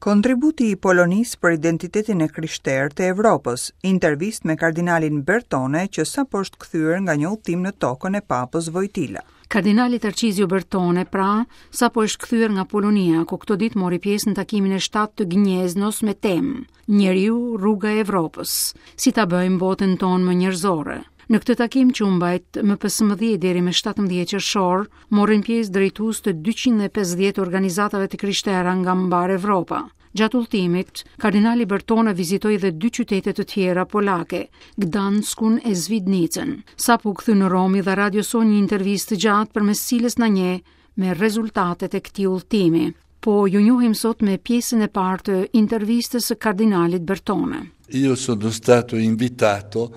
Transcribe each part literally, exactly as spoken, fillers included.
Kontributi i Polonisë për identitetin e krishterë të Evropës, intervistë me kardinalin Bertone, që sapo është kthyer nga një udhtim në tokën e Papës Vojtila. Kardinali Tarcizio Bertone, pra, sapo është kthyer nga Polonia, ku këto ditë mori pjesë në takimin e shtatë të Gnieznos me temë Njeriu, rruga e Evropës, si ta bëjmë botën tonë më njerëzore. Në këtë takim, që u mbajt më pesëmbëdhjetë deri më shtatëmbëdhjetë qershor, morën pjesë drejtues të dyqind e pesëdhjetë organizatave të krishtera nga mbarë Evropa. Gjatë udhëtimit, kardinali Bertone vizitoi edhe dy qytete të tjera polake, Gdanskun e Svidnicën. Sapo u kthy në Romë, dha radios sonë një intervistë të gjatë, përmes cilës na njeh me rezultatet e këtij udhëtimi. Po ju njohim sot me pjesën e parë të intervistës së kardinalit Bertone. Io sono stato invitato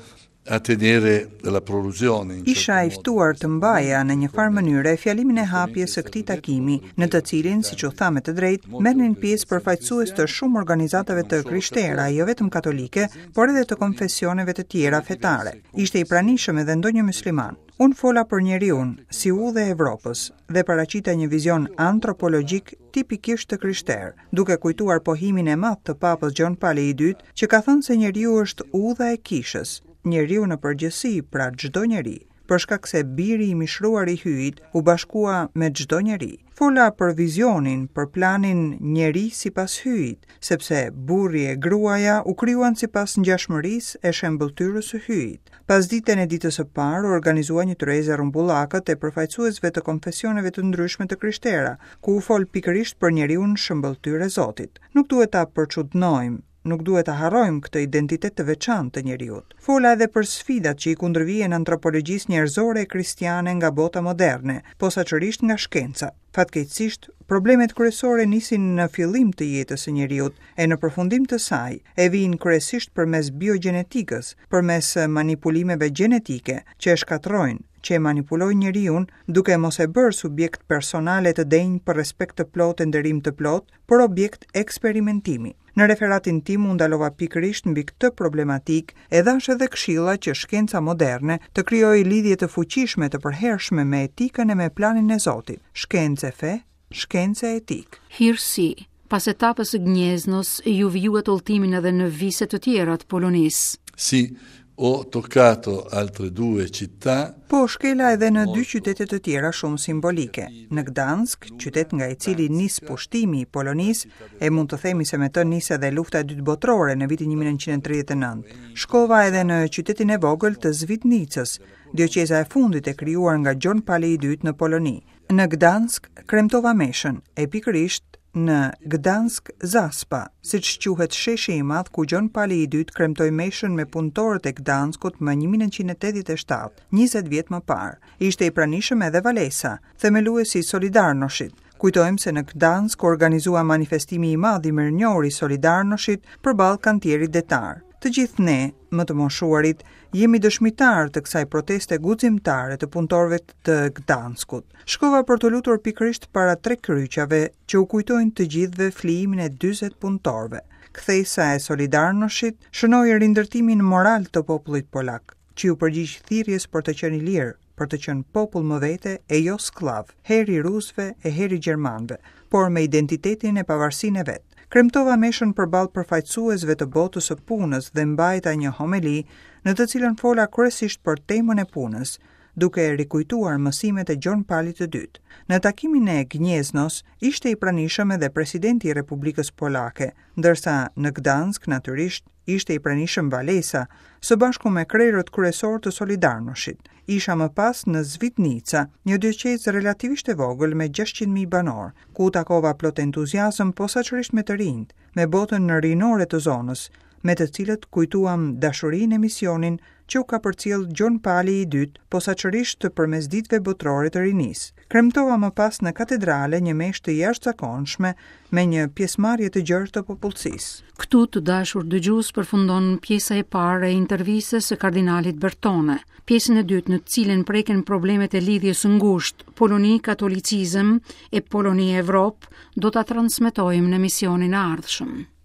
a tenere la prolusione. Isha i ftuar të mbaja në një farë mënyre fjalimin e hapjes së këtij takimi, në të cilin, siç u tha me të drejtë, merrnin pjesë përfaqësues të shumë organizatave të krishtera, jo vetëm katolike, por edhe të konfesioneve të tjera fetare. Ishte i pranishëm edhe ndonjë musliman. Unë fola për njeriun si udhë e Evropës dhe paraqita një vizion antropologjik tipikisht të krishterë, duke kujtuar pohimin e madh të Papës Gjon Pali i Dytë, që ka thënë se njeriu është udha e kishës, njeriu në përgjithësi, pra çdo njeri, për shkak se biri i mishruar i Hyjit u bashkua me çdo njeri. Fola për vizionin, për planin njeri sipas Hyjit, sepse burri e gruaja u krijuan sipas ngjashmërisë e shembëlltyrës së Hyjit. Pasditen e ditës së parë u organizua një tryezë e rrumbullakët e përfaqësuesve të konfesioneve të ndryshme të krishtera, ku u fol pikërisht për njeriun shembëlltyrë e Zotit. Nuk duhet ta përçudnojmë, nuk duhet ta harrojmë këtë identitet të veçantë të njeriut. Fola edhe për sfidat që i kundërvihen antropologjisë njerëzore e kristiane nga bota moderne, posaçërisht nga shkenca. Fatkeqësisht, problemet kryesore nisin në fillim të jetës së njeriut e në përfundim të saj, e vijnë kryesisht përmes biogjenetikës, përmes manipulimeve gjenetike që e shkatërrojnë, që e manipulojnë njeriun, duke mos e bërë subjekt personale të denjë për respekt të plotë e nderim të plotë, por objekt eksperimentimi. Në referatin tim u ndalova pikërisht mbi këtë problematik e dhash edhe këshilla që shkenca moderne të krijojë lidhje të fuqishme, të përhershme me etikën e me planin e Zotit. Shkencë e fe, shkencë e etikë. Hirësi, pas etapës së Gnieznos, ju vijuat udhëtimin edhe në vise të tjera të Polonisë. Sì, ho toccato altre due città. Po, shkela edhe në dy qytete të tjera shumë simbolike. Në Gdansk, qytet nga i cili nis pushtimi i Polonisë, e mund të themi se me të nis edhe lufta e dytë botërore në vitin një mijë e nëntëqind e tridhjetë e nëntë. Shkova edhe në qytetin e vogël të Svidnicës, dioqeza e fundit e krijuar nga Gjon Pali i Dytë në Poloni. Në Gdansk kremtova meshën, e pikërisht në Gdansk Zaspa, siç quhet sheshi i madh ku Gjon Pali i Dytë kremtoi meshën me punëtorët e Gdanskut më një mijë e nëntëqind e tetëdhjetë e shtatë, njëzet vjet më parë. Ishte i pranishëm edhe Walesa, themeluesi i Solidarnoshit. Kujtojmë se në Gdansk u organizua manifestimi i madh i mirënjohur i Solidarnoshit përballë kantierit detar. Të gjithë ne, më të moshuarit, jemi dëshmitar të kësaj proteste guximtare të punëtorëve të Gdanskut. Shkova për të lutur pikërisht para tre kryqave që u kujtojnë të gjithëve flijimin e dyzet punëtorëve. Kthesa e Solidarnoshit shënoi rindërtimin moral të popullit polak, që ju përgjigj thirrjes për të qenë i lirë, për të qenë popull më vete e jo skllav, herë i rusëve e herë i gjermanëve, por me identitetin e pavarësinë e vet. Kremtova meshën përballë përfaqësuesve të botës së punës dhe mbajta një homeli në të cilën fola kryesisht për temën e punës, duke rikujtuar mësimet e Gjon Palit të Dytë. Në takimin e Gnieznos ishte i pranishëm edhe presidenti i Republikës Polake, ndërsa në Gdansk natyrisht ishte i pranishëm Walesa, së bashku me krerët kryesor të Solidarnoshit. Isha më pas në Svidnica, një dioqezë relativisht e vogël me gjashtëqind mijë banorë, ku u takova plot entuziazëm posaçërisht me të rinjt, me botën rinore të zonës, me të cilët kujtuam dashurinë e misionin që u ka përcjell Gjon Pali i Dytë, posaçërisht përmes ditëve botërore të rinisë. Kremtova më pas në katedrale një meshë të jashtëzakonshme me një pjesëmarrje të gjerë të popullsisë. Këtu, të dashur dëgjues, përfundon pjesa e parë e intervistës së kardinalit Bertone. Pjesën e dytë, në të cilën preken problemet e lidhjes së ngushtë Poloni katolicizëm e Poloni Evropë, do ta transmetojmë në emisionin e ardhshëm.